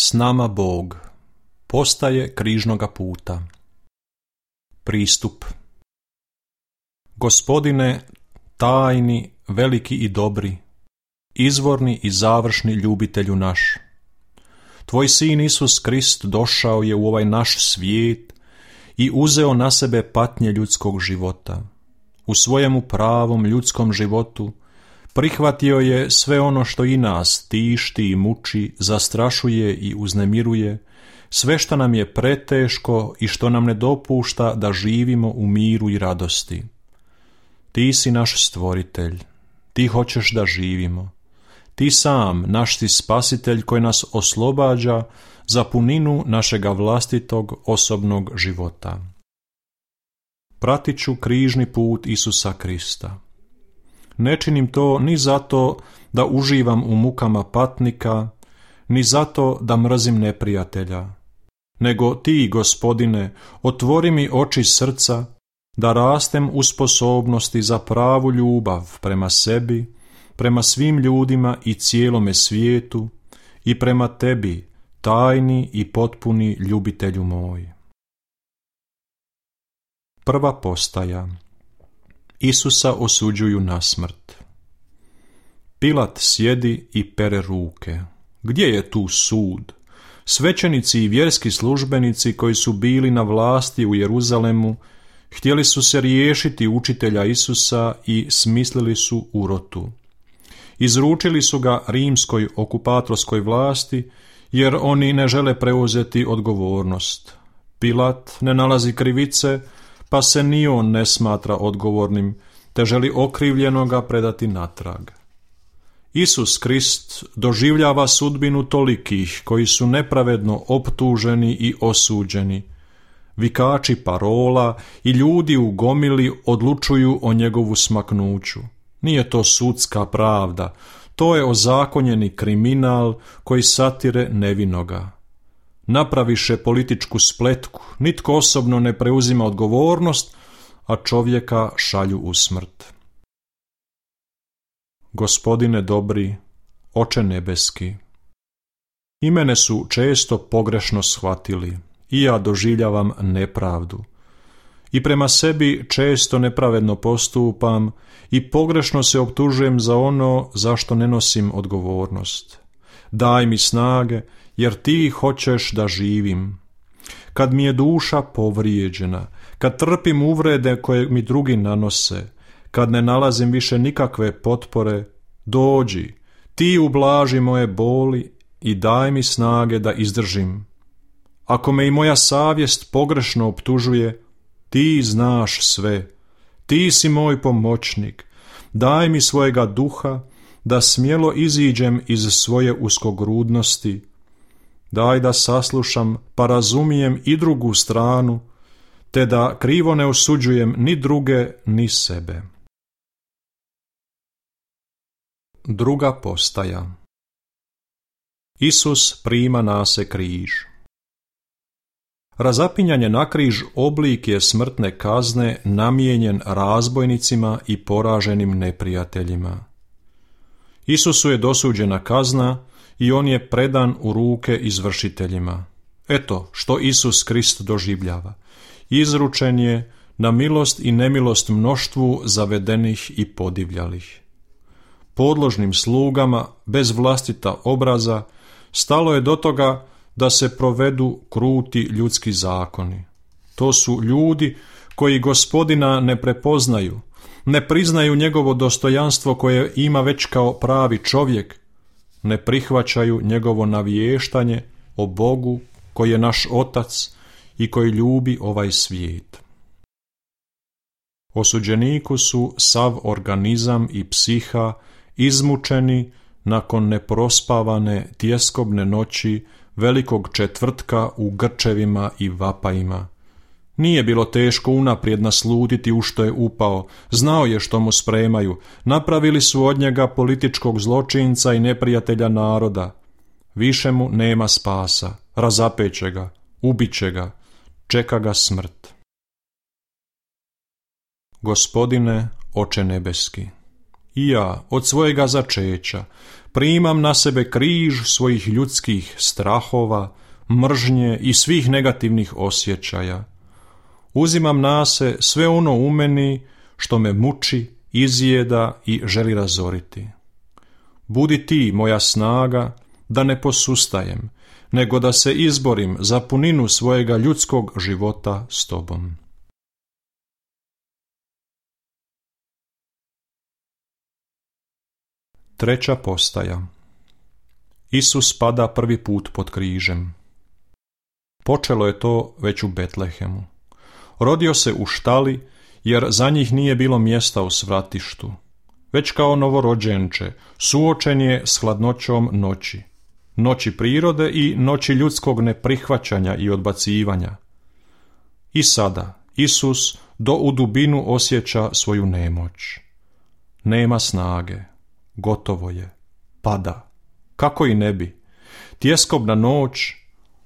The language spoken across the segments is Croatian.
S nama Bog. Postaje križnoga puta. Pristup. Gospodine, tajni, veliki i dobri, izvorni i završni ljubitelju naš. Tvoj sin Isus Krist došao je u ovaj naš svijet i uzeo na sebe patnje ljudskog života. U svojemu pravom ljudskom životu prihvatio je sve ono što i nas tišti i muči, zastrašuje i uznemiruje, sve što nam je preteško i što nam ne dopušta da živimo u miru i radosti. Ti si naš stvoritelj, ti hoćeš da živimo. Ti sam, naš si spasitelj koji nas oslobađa za puninu našega vlastitog osobnog života. Pratit ću križni put Isusa Krista. Ne činim to ni zato da uživam u mukama patnika, ni zato da mrzim neprijatelja, nego ti, Gospodine, otvori mi oči srca da rastem u sposobnosti za pravu ljubav prema sebi, prema svim ljudima i cijelome svijetu i prema tebi, tajni i potpuni ljubitelju moj. Prva postaja. Isusa osuđuju na smrt. Pilat sjedi i pere ruke. Gdje je tu sud? Svećenici i vjerski službenici koji su bili na vlasti u Jeruzalemu htjeli su se riješiti učitelja Isusa i smislili su urotu. Izručili su ga rimskoj okupatorskoj vlasti jer oni ne žele preuzeti odgovornost. Pilat ne nalazi krivice, pa se ni on ne smatra odgovornim, te želi okrivljenoga predati natrag. Isus Krist doživljava sudbinu tolikih koji su nepravedno optuženi i osuđeni. Vikači parola i ljudi u gomili odlučuju o njegovu smaknuću. Nije to sudska pravda, to je ozakonjeni kriminal koji satire nevinoga. Napraviše političku spletku, nitko osobno ne preuzima odgovornost, a čovjeka šalju u smrt. Gospodine dobri, Oče nebeski, i mene su često pogrešno shvatili, i ja doživljavam nepravdu. I prema sebi često nepravedno postupam i pogrešno se optužujem za ono za što ne nosim odgovornost. Daj mi snage, jer ti hoćeš da živim. Kad mi je duša povrijeđena, kad trpim uvrede koje mi drugi nanose, kad ne nalazim više nikakve potpore, dođi, ti ublaži moje boli i daj mi snage da izdržim. Ako me i moja savjest pogrešno optužuje, ti znaš sve, ti si moj pomoćnik, daj mi svojega duha da smjelo iziđem iz svoje uskogrudnosti. Daj da saslušam pa razumijem i drugu stranu, te da krivo ne osuđujem ni druge ni sebe. Druga postaja. Isus prima na se križ. Razapinjanje na križ oblik je smrtne kazne namijenjen razbojnicima i poraženim neprijateljima. Isusu je dosuđena kazna i on je predan u ruke izvršiteljima. Eto što Isus Krist doživljava. Izručen je na milost i nemilost mnoštvu zavedenih i podivljalih. Podložnim slugama, bez vlastita obraza, stalo je do toga da se provedu kruti ljudski zakoni. To su ljudi koji Gospodina ne prepoznaju, ne priznaju njegovo dostojanstvo koje ima već kao pravi čovjek, ne prihvaćaju njegovo navještanje o Bogu koji je naš Otac i koji ljubi ovaj svijet. Osuđeniku su sav organizam i psiha izmučeni nakon neprospavane tjeskobne noći velikog četvrtka u grčevima i vapajima. Nije bilo teško unaprijed naslutiti u što je upao, znao je što mu spremaju, napravili su od njega političkog zločinca i neprijatelja naroda. Više mu nema spasa, razapeće ga, ubiće ga, čeka ga smrt. Gospodine, Oče nebeski, i ja od svojega začeća Primam na sebe križ svojih ljudskih strahova, mržnje i svih negativnih osjećaja. Uzimam na se sve ono u meni što me muči, izjeda i želi razoriti. Budi ti moja snaga da ne posustajem, nego da se izborim za puninu svojega ljudskog života s tobom. Treća postaja. Isus pada prvi put pod križem. Počelo je to već u Betlehemu. Rodio se u štali, jer za njih nije bilo mjesta u svratištu. Već kao novorođenče suočen je s hladnoćom noći. Noći prirode i noći ljudskog neprihvaćanja i odbacivanja. I sada Isus u dubinu osjeća svoju nemoć. Nema snage. Gotovo je. Pada. Kako i ne bi. Tjeskobna noć,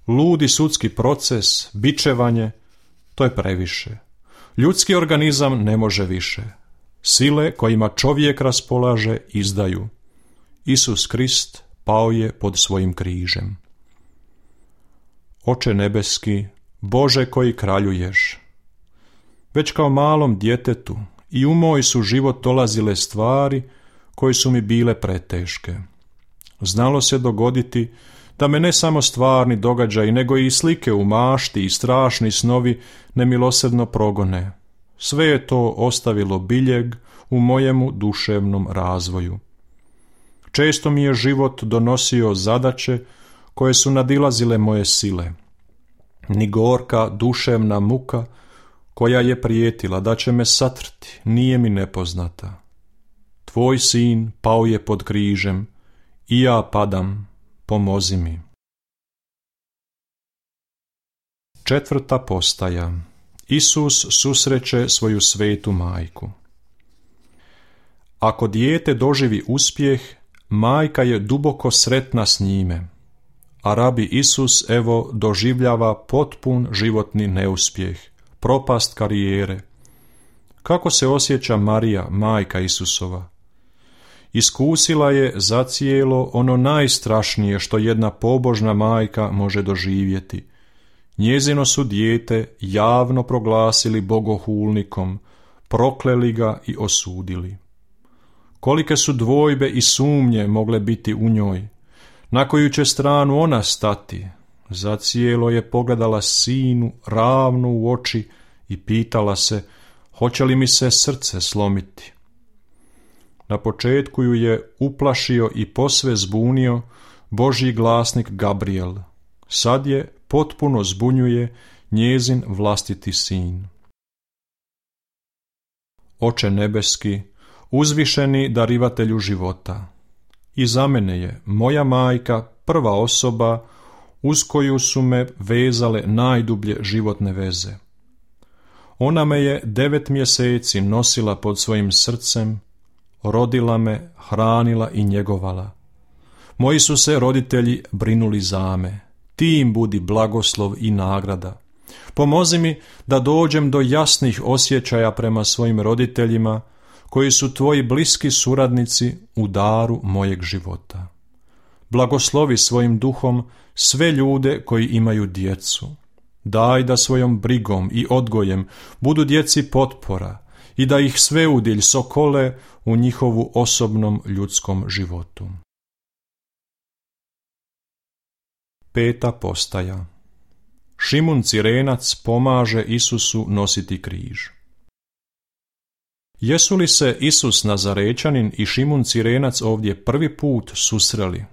ludi sudski proces, bičevanje, to je previše. Ljudski organizam ne može više. Sile kojima čovjek raspolaže izdaju. Isus Krist pao je pod svojim križem. Oče nebeski, Bože koji kraljuješ, već kao malom djetetu i u moj su život dolazile stvari koje su mi bile preteške. Znalo se dogoditi da me ne samo stvarni događaji, nego i slike u mašti i strašni snovi nemilosrdno progone. Sve je to ostavilo biljeg u mojemu duševnom razvoju. Često mi je život donosio zadaće koje su nadilazile moje sile. Ni gorka duševna muka koja je prijetila da će me satrti nije mi nepoznata. Tvoj sin pao je pod križem i ja padam, pomozi mi. Četvrta postaja. Isus susreće svoju svetu majku. Ako dijete doživi uspjeh, majka je duboko sretna s njime, a rabi Isus evo doživljava potpun životni neuspjeh, propast karijere. Kako se osjeća Marija, majka Isusova? Iskusila je zacijelo ono najstrašnije što jedna pobožna majka može doživjeti. Njezino su dijete javno proglasili bogohulnikom, prokleli ga i osudili. Kolike su dvojbe i sumnje mogle biti u njoj, na koju će stranu ona stati. Zacijelo je pogledala sinu ravno u oči i pitala se, hoće li mi se srce slomiti. Na početku ju je uplašio i posve zbunio Božji glasnik Gabriel. Sad je potpuno zbunjuje njezin vlastiti sin. Oče nebeski, uzvišeni darivatelju života, i za mene je moja majka prva osoba uz koju su me vezale najdublje životne veze. Ona me je 9 mjeseci nosila pod svojim srcem, rodila me, hranila i njegovala. Moji su se roditelji brinuli za me. Ti im budi blagoslov i nagrada. Pomozi mi da dođem do jasnih osjećaja prema svojim roditeljima, koji su tvoji bliski suradnici u daru mojeg života. Blagoslovi svojim duhom sve ljude koji imaju djecu. Daj da svojom brigom i odgojem budu djeci potpora i da ih sveudilj sokole u njihovu osobnom ljudskom životu. Peta postaja. Šimun Cirenac pomaže Isusu nositi križ. Jesu li se Isus Nazarečanin i Šimun Cirenac ovdje prvi put susreli?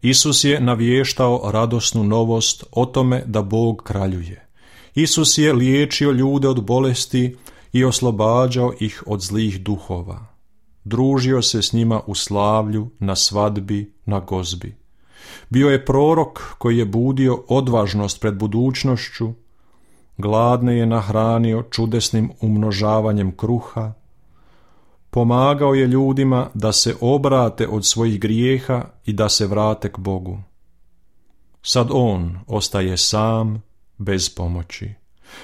Isus je navještao radosnu novost o tome da Bog kraljuje. Isus je liječio ljude od bolesti i oslobađao ih od zlih duhova. Družio se s njima u slavlju, na svadbi, na gozbi. Bio je prorok koji je budio odvažnost pred budućnošću, gladne je nahranio čudesnim umnožavanjem kruha, pomagao je ljudima da se obrate od svojih grijeha i da se vrate k Bogu. Sad on ostaje sam, bez pomoći,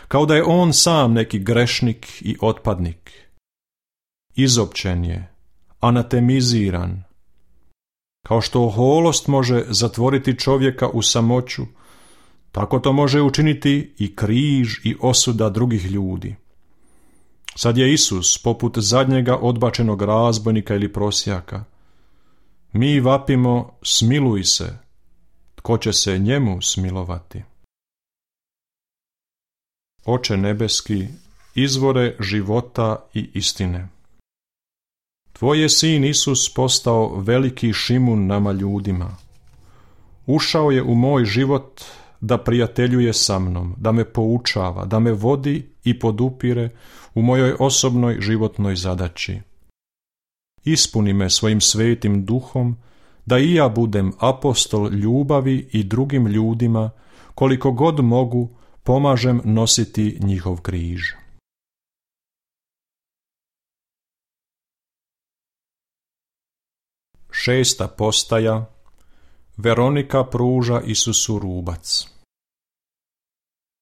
kao da je on sam neki grešnik i otpadnik. Izopćen je, anatemiziran. Kao što oholost može zatvoriti čovjeka u samoću, tako to može učiniti i križ i osuda drugih ljudi. Sad je Isus poput zadnjega odbačenog razbojnika ili prosjaka. Mi vapimo, smiluj se, tko će se njemu smilovati? Oče nebeski, izvore života i istine. Tvoj je sin Isus postao veliki šimun nama ljudima. Ušao je u moj život da prijateljuje sa mnom, da me poučava, da me vodi i podupire u mojoj osobnoj životnoj zadaći. Ispuni me svojim svetim duhom, da i ja budem apostol ljubavi i drugim ljudima, koliko god mogu, pomažem nositi njihov križ. Šesta postaja. Veronika pruža Isusu rubac.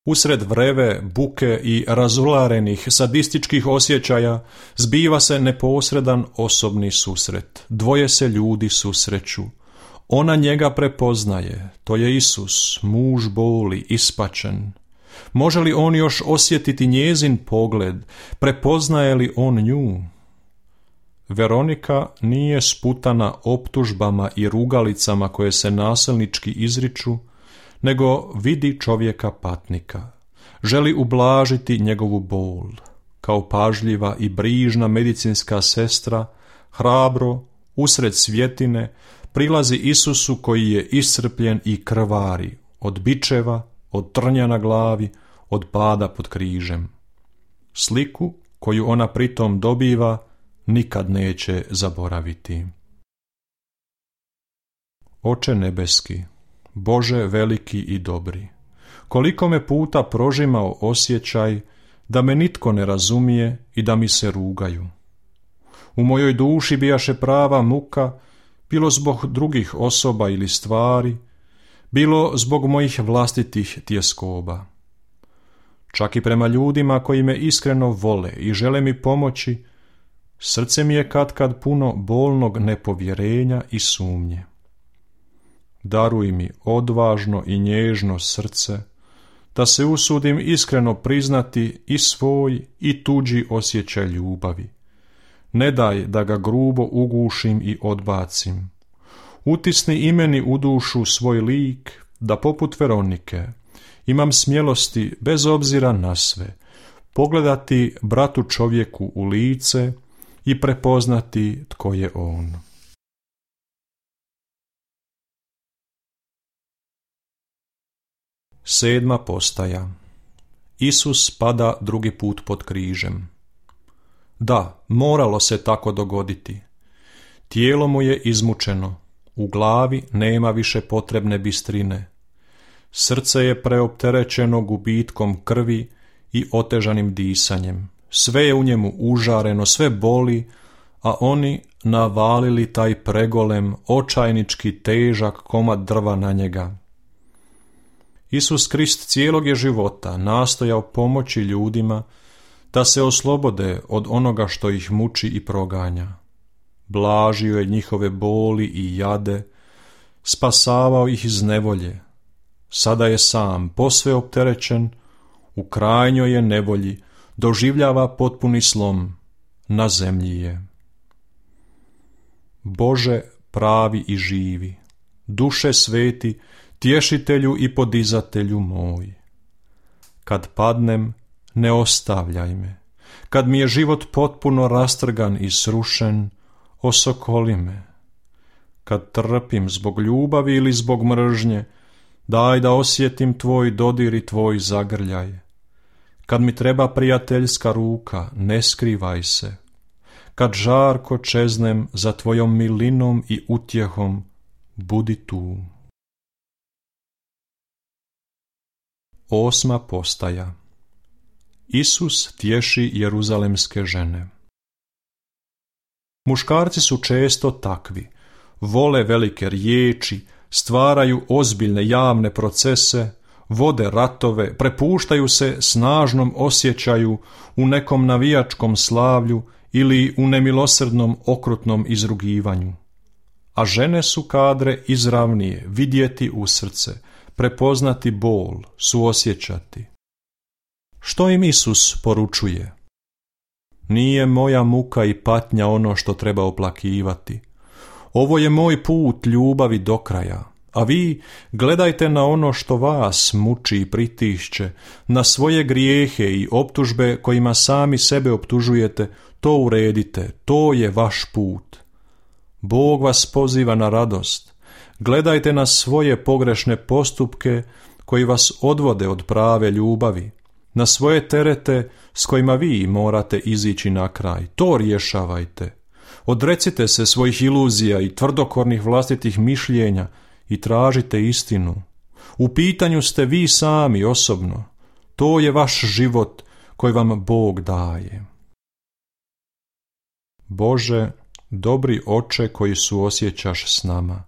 Usred vreve, buke i razularenih sadističkih osjećaja zbiva se neposredan osobni susret. Dvoje se ljudi susreću. Ona njega prepoznaje, to je Isus, muž boli, ispačen. Može li on još osjetiti njezin pogled, prepoznaje li on nju? Veronika nije sputana optužbama i rugalicama koje se nasilnički izriču, nego vidi čovjeka patnika. Želi ublažiti njegovu bol. Kao pažljiva i brižna medicinska sestra, hrabro, usred svjetine, prilazi Isusu koji je iscrpljen i krvari, od bičeva, od trnja na glavi, od pada pod križem. Sliku koju ona pritom dobiva nikad neće zaboraviti. Oče nebeski, Bože veliki i dobri, koliko me puta prožimao osjećaj da me nitko ne razumije i da mi se rugaju. U mojoj duši bijaše prava muka, bilo zbog drugih osoba ili stvari, bilo zbog mojih vlastitih tjeskoba. Čak i prema ljudima koji me iskreno vole i žele mi pomoći, srce mi je katkad puno bolnog nepovjerenja i sumnje. Daruj mi odvažno i nježno srce, da se usudim iskreno priznati i svoj i tuđi osjećaj ljubavi. Ne daj da ga grubo ugušim i odbacim. Utisni i meni u dušu svoj lik, da poput Veronike imam smjelosti bez obzira na sve, pogledati bratu čovjeku u lice i prepoznati tko je on. Sedma postaja. Isus pada drugi put pod križem. Da, moralo se tako dogoditi. Tijelo mu je izmučeno, u glavi nema više potrebne bistrine. Srce je preopterećeno gubitkom krvi i otežanim disanjem. Sve je u njemu užareno, sve boli, a oni navalili taj pregolem, očajnički težak komad drva na njega. Isus Krist cijelog je života nastojao pomoći ljudima da se oslobode od onoga što ih muči i proganja. Blažio je njihove boli i jade, spasavao ih iz nevolje. Sada je sam, posve opterećen, u krajnjoj je nevolji, doživljava potpuni slom, na zemlji je. Bože pravi i živi, duše sveti, tješitelju i podizatelju moj. Kad padnem, ne ostavljaj me. Kad mi je život potpuno rastrgan i srušen, osokoli me. Kad trpim zbog ljubavi ili zbog mržnje, daj da osjetim tvoj dodir i tvoj zagrljaj. Kad mi treba prijateljska ruka, ne skrivaj se. Kad žarko čeznem za tvojom milinom i utjehom, budi tu. Osma postaja. Isus tješi jeruzalemske žene. Muškarci su često takvi, vole velike riječi, stvaraju ozbiljne javne procese, vode ratove, prepuštaju se snažnom osjećaju u nekom navijačkom slavlju ili u nemilosrdnom okrutnom izrugivanju. a žene su kadre izravnije, vidjeti u srce, prepoznati bol, suosjećati. Što im Isus poručuje? Nije moja muka i patnja ono što treba oplakivati. Ovo je moj put ljubavi do kraja, a vi gledajte na ono što vas muči i pritišće, na svoje grijehe i optužbe kojima sami sebe optužujete, to uredite, to je vaš put. Bog vas poziva na radost. Gledajte na svoje pogrešne postupke koji vas odvode od prave ljubavi, na svoje terete s kojima vi morate izići na kraj. To rješavajte. Odrecite se svojih iluzija i tvrdokornih vlastitih mišljenja i tražite istinu. U pitanju ste vi sami osobno. To je vaš život koji vam Bog daje. Bože, dobri Oče koji suosjećaš s nama.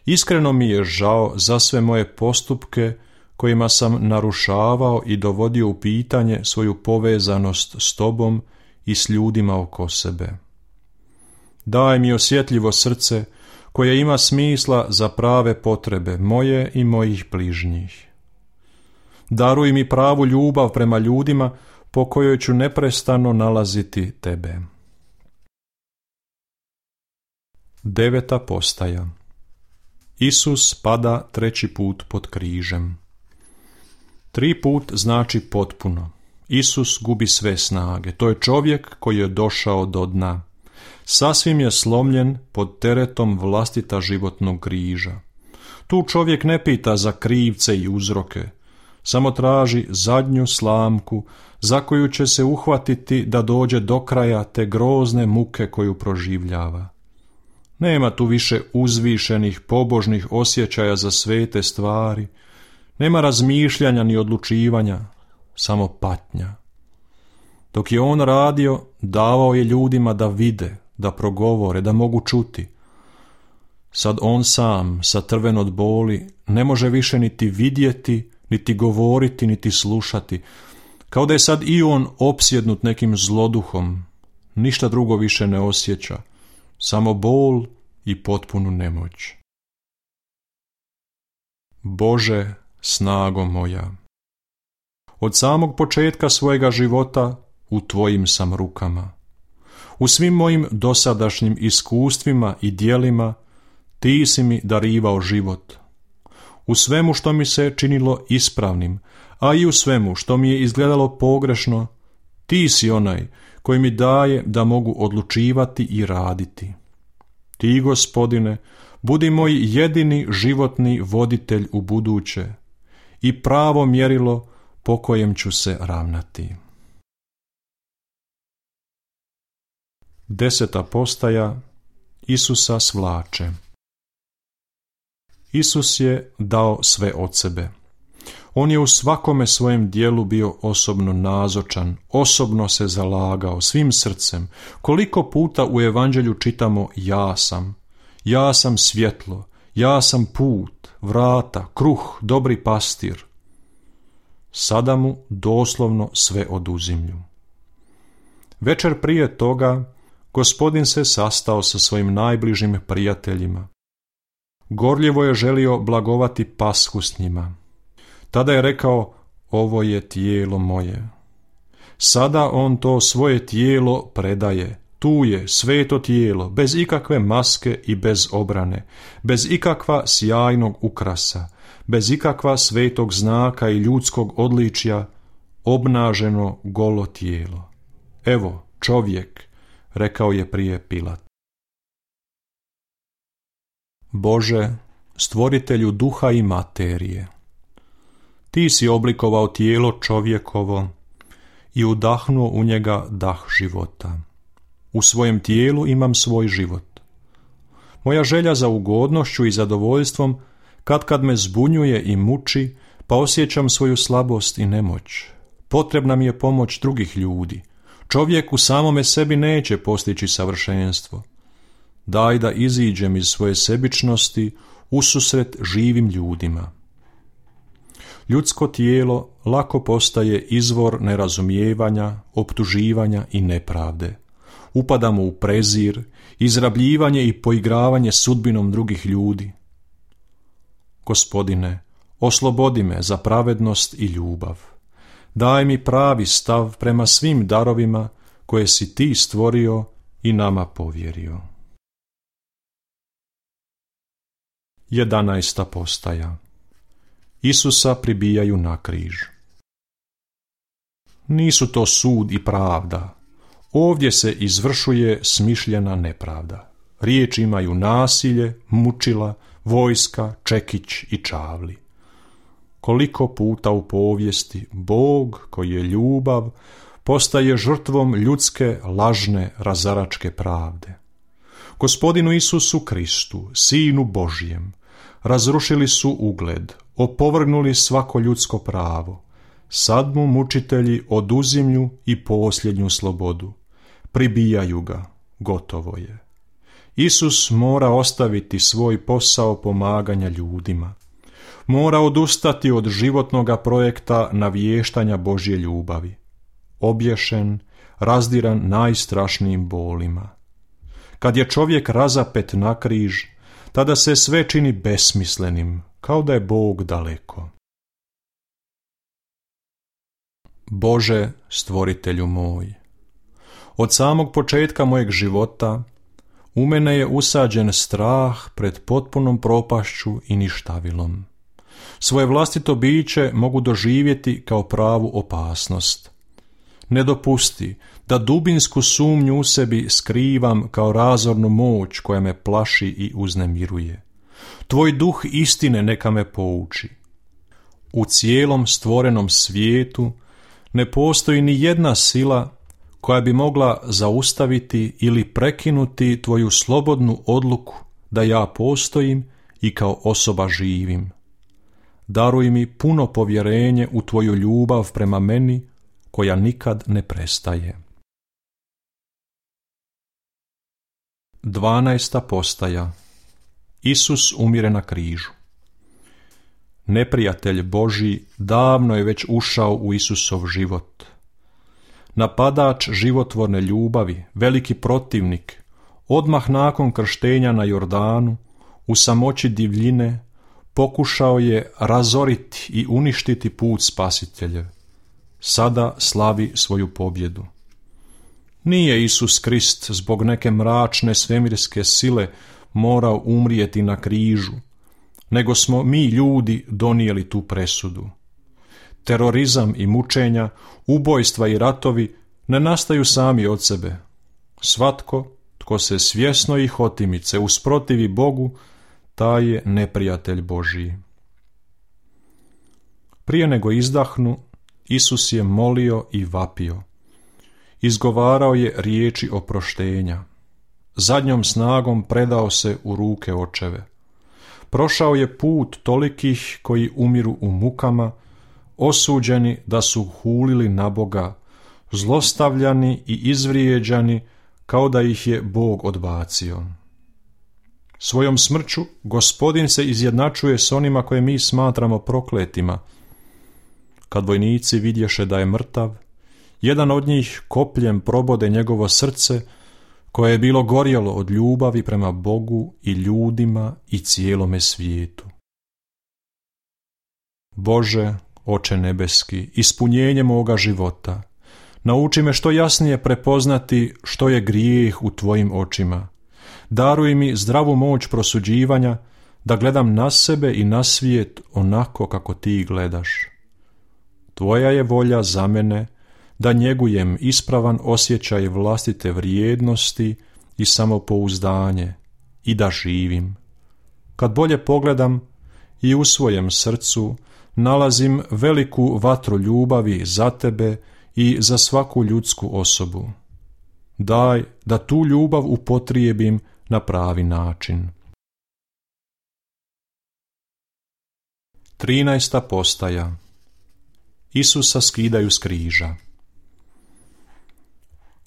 Iskreno mi je žao za sve moje postupke kojima sam narušavao i dovodio u pitanje svoju povezanost s Tobom i s ljudima oko sebe. Daj mi osjetljivo srce koje ima smisla za prave potrebe moje i mojih bližnjih. Daruj mi pravu ljubav prema ljudima po kojoj ću neprestano nalaziti Tebe. 9. postaja. Isus pada 3. put pod križem. 3 put znači potpuno. Isus gubi sve snage. To je čovjek koji je došao do dna. Sasvim je slomljen pod teretom vlastita životnog križa. Tu čovjek ne pita za krivce i uzroke, samo traži zadnju slamku za koju će se uhvatiti da dođe do kraja te grozne muke koju proživljava. Nema tu više uzvišenih, pobožnih osjećaja za svete stvari, nema razmišljanja ni odlučivanja, samo patnja. Dok je on radio, davao je ljudima da vide, da progovore, da mogu čuti. Sad on sam, satrven od boli, ne može više niti vidjeti, niti govoriti, niti slušati, kao da je sad i on opsjednut nekim zloduhom, ništa drugo više ne osjeća, samo bol i potpunu nemoć. Bože, snago moja, od samog početka svojega života u Tvojim sam rukama. U svim mojim dosadašnjim iskustvima i djelima Ti si mi darivao život. U svemu što mi se činilo ispravnim, a i u svemu što mi je izgledalo pogrešno, Ti si onaj koji mi daje da mogu odlučivati i raditi. Ti, Gospodine, budi moj jedini životni voditelj u buduće i pravo mjerilo po kojem ću se ravnati. 10. postaja. Isusa svlače. Isus je dao sve od sebe. On je u svakome svojem dijelu bio osobno nazočan, osobno se zalagao svim srcem. Koliko puta u evanđelju čitamo ja sam svjetlo, ja sam put, vrata, kruh, dobri pastir. Sada mu doslovno sve oduzimlju. Večer prije toga Gospodin se sastao sa svojim najbližim prijateljima. Gorljivo je želio blagovati Pashu s njima. Tada je rekao, ovo je tijelo moje. Sada on to svoje tijelo predaje. Tu je sveto tijelo, bez ikakve maske i bez obrane, bez ikakva sjajnog ukrasa, bez ikakva svetog znaka i ljudskog odličja, obnaženo golo tijelo. Evo, čovjek, rekao je prije Pilat. Bože, stvoritelju duha i materije, Ti si oblikovao tijelo čovjekovo i udahnuo u njega dah života. U svojem tijelu imam svoj život. Moja želja za ugodnošću i zadovoljstvom kad me zbunjuje i muči, pa osjećam svoju slabost i nemoć. Potrebna mi je pomoć drugih ljudi. Čovjek u samome sebi neće postići savršenstvo. Daj da iziđem iz svoje sebičnosti ususret živim ljudima. Ljudsko tijelo lako postaje izvor nerazumijevanja, optuživanja i nepravde. upadamo u prezir, izrabljivanje i poigravanje sudbinom drugih ljudi. Gospodine, oslobodi me za pravednost i ljubav. Daj mi pravi stav prema svim darovima koje si ti stvorio i nama povjerio. 11. postaja. Isusa pribijaju na križ. Nisu to sud i pravda. Ovdje se izvršuje smišljena nepravda. Riječi imaju nasilje, mučila, vojska, čekić i čavli. Koliko puta u povijesti Bog, koji je ljubav, postaje žrtvom ljudske, lažne, razaračke pravde. Gospodinu Isusu Kristu, Sinu Božjem, razrušili su ugled, opovrgnuli svako ljudsko pravo. Sad mu mučitelji oduzimlju i posljednju slobodu. Pribijaju ga, gotovo je. Isus mora ostaviti svoj posao pomaganja ljudima. Mora odustati od životnoga projekta navještanja Božje ljubavi. Obješen, razdiran najstrašnijim bolima. Kad je čovjek razapet na križ, tada se sve čini besmislenim, kao da je Bog daleko. Bože, stvoritelju moj, od samog početka mojeg života u mene je usađen strah pred potpunom propašću i ništavilom. Svoje vlastito biće mogu doživjeti kao pravu opasnost. Ne dopusti da dubinsku sumnju u sebi skrivam kao razornu moć koja me plaši i uznemiruje. Tvoj duh istine neka me pouči. U cijelom stvorenom svijetu ne postoji ni jedna sila koja bi mogla zaustaviti ili prekinuti tvoju slobodnu odluku da ja postojim i kao osoba živim. Daruj mi puno povjerenje u tvoju ljubav prema meni koja nikad ne prestaje. 12. postaja. Isus umire na križu. Neprijatelj Božji davno je već ušao u Isusov život. Napadač životvorne ljubavi, veliki protivnik, odmah nakon krštenja na Jordanu, u samoći divljine, pokušao je razoriti i uništiti put spasiteljev. Sada slavi svoju pobjedu. Nije Isus Krist zbog neke mračne svemirske sile morao umrijeti na križu, nego smo mi ljudi donijeli tu presudu. Terorizam i mučenja, ubojstva i ratovi ne nastaju sami od sebe. Svatko tko se svjesno i hotimice usprotivi Bogu, taj je neprijatelj Božji. Prije nego izdahnu, Isus je molio i vapio. Izgovarao je riječi oproštenja. Zadnjom snagom predao se u ruke Očeve. Prošao je put tolikih koji umiru u mukama, osuđeni da su hulili na Boga, zlostavljani i izvrijeđani kao da ih je Bog odbacio. Svojom smrću Gospodin se izjednačuje s onima koje mi smatramo prokletima. Kad vojnici vidješe da je mrtav, jedan od njih kopljem probode njegovo srce, koje je bilo gorjelo od ljubavi prema Bogu i ljudima i cijelome svijetu. Bože, Oče nebeski, ispunjenje moga života, nauči me što jasnije prepoznati što je grijeh u tvojim očima. Daruj mi zdravu moć prosuđivanja, da gledam na sebe i na svijet onako kako ti gledaš. Tvoja je volja za mene da njegujem ispravan osjećaj vlastite vrijednosti i samopouzdanje i da živim. Kad bolje pogledam i u svojem srcu nalazim veliku vatru ljubavi za tebe i za svaku ljudsku osobu. Daj da tu ljubav upotrijebim na pravi način. 13. postaja. Isusa skidaju s križa.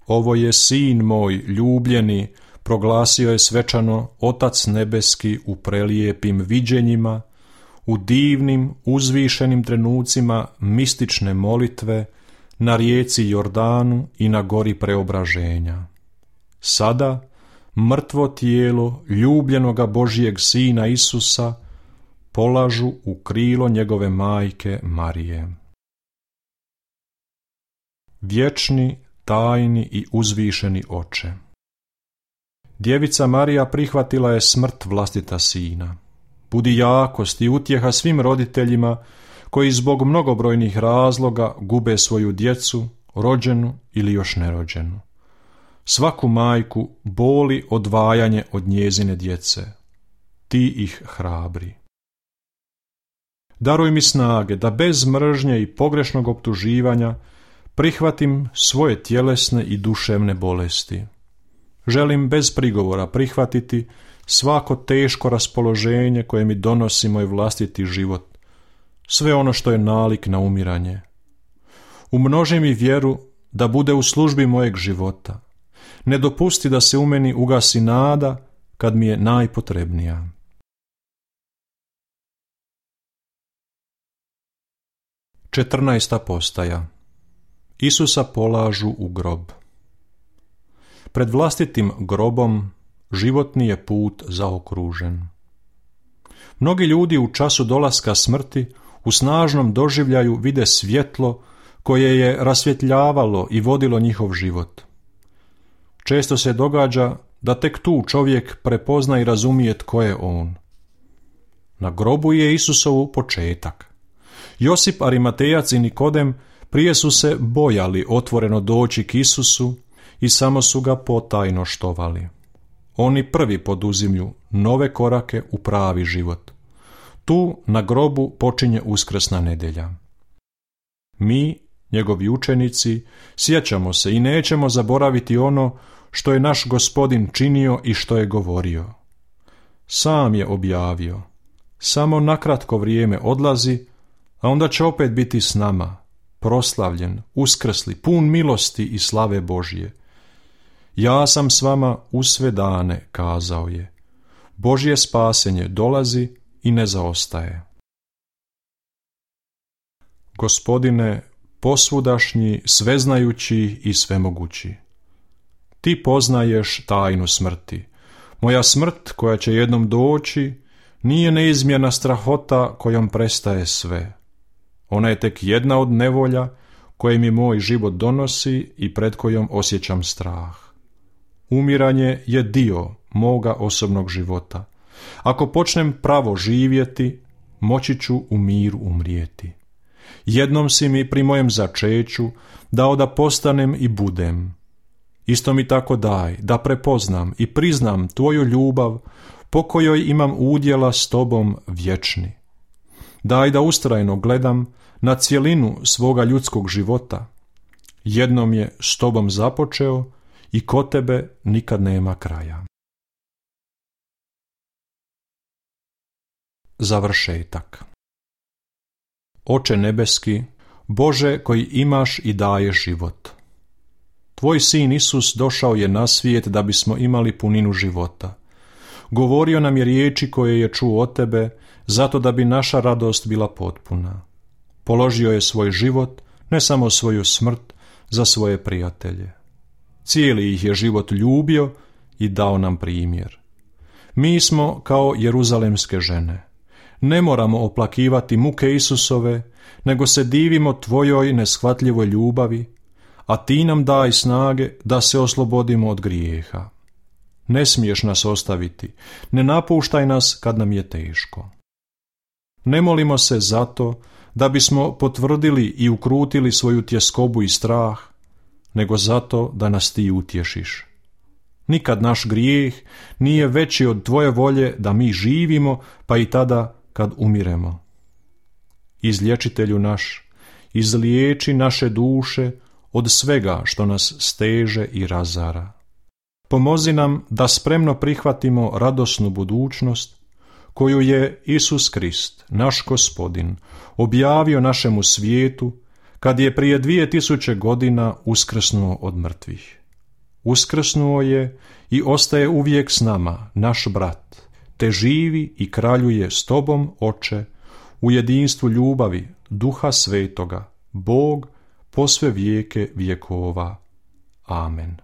Ovo je sin moj ljubljeni, proglasio je svečano Otac nebeski u prelijepim viđenjima, u divnim, uzvišenim trenucima mistične molitve na rijeci Jordanu i na gori preobraženja. sada mrtvo tijelo ljubljenoga Božijeg Sina Isusa polažu u krilo njegove majke Marije. Vječni, tajni i uzvišeni Oče, Djevica Marija prihvatila je smrt vlastita sina. Budi jakost i utjeha svim roditeljima koji zbog mnogobrojnih razloga gube svoju djecu, rođenu ili još nerođenu. Svaku majku boli odvajanje od njezine djece. Ti ih hrabri. Daruj mi snage da bez mržnje i pogrešnog optuživanja prihvatim svoje tjelesne i duševne bolesti. Želim bez prigovora prihvatiti svako teško raspoloženje koje mi donosi moj vlastiti život, sve ono što je nalik na umiranje. Umnoži mi vjeru da bude u službi mojeg života. Ne dopusti da se u meni ugasi nada kad mi je najpotrebnija. Četrnaesta postaja. Isusa polažu u grob. Pred vlastitim grobom životni je put zaokružen. Mnogi ljudi u času dolaska smrti u snažnom doživljaju vide svjetlo koje je rasvjetljavalo i vodilo njihov život. Često se događa da tek tu čovjek prepozna i razumije tko je on. Na grobu je Isusovu početak. Josip Arimatejac i Nikodem prije su se bojali otvoreno doći k Isusu i samo su ga potajno štovali. Oni prvi poduzimlju nove korake u pravi život. Tu na grobu počinje uskrsna nedjelja. Mi, njegovi učenici, sjećamo se i nećemo zaboraviti ono što je naš Gospodin činio i što je govorio. Sam je objavio, samo na kratko vrijeme odlazi, a onda će opet biti s nama, proslavljen, uskrsli, pun milosti i slave Božje. Ja sam s vama u sve dane, kazao je. Božje spasenje dolazi i ne zaostaje. Gospodine, posvudašnji, sveznajući i svemogući, ti poznaješ tajnu smrti. Moja smrt, koja će jednom doći, nije neizmjerna strahota kojom prestaje sve. Ona je tek jedna od nevolja koje mi moj život donosi i pred kojom osjećam strah. Umiranje je dio moga osobnog života. Ako počnem pravo živjeti, moći ću u miru umrijeti. Jednom si mi pri mojem začeću dao da postanem i budem. Isto mi tako daj da prepoznam i priznam tvoju ljubav po kojoj imam udjela s tobom vječni. Daj da ustrajno gledam na cjelinu svoga ljudskog života. Jednom je s tobom započeo i kod tebe nikad nema kraja. Završetak. Oče nebeski, Bože koji imaš i daješ život. Tvoj sin Isus došao je na svijet da bismo imali puninu života. Govorio nam je riječi koje je čuo od tebe, zato da bi naša radost bila potpuna. Položio je svoj život, ne samo svoju smrt, za svoje prijatelje. Cijeli ih je život ljubio i dao nam primjer. Mi smo kao jeruzalemske žene. Ne moramo oplakivati muke Isusove, nego se divimo tvojoj neshvatljivoj ljubavi, a ti nam daj snage da se oslobodimo od grijeha. Ne smiješ nas ostaviti, ne napuštaj nas kad nam je teško. Ne molimo se zato da bismo potvrdili i ukrutili svoju tjeskobu i strah, nego zato da nas ti utješiš. Nikad naš grijeh nije veći od tvoje volje da mi živimo, pa i tada kad umiremo. Izliječitelju naš, izliječi naše duše od svega što nas steže i razara. Pomozi nam da spremno prihvatimo radosnu budućnost koju je Isus Krist, naš Gospodin, objavio našemu svijetu kad je prije 2000 godina uskrsnuo od mrtvih. Uskrsnuo je i ostaje uvijek s nama, naš brat, te živi i kraljuje s tobom, Oče, u jedinstvu ljubavi Duha Svetoga, Bog, po sve vijeke vjekova. Amen.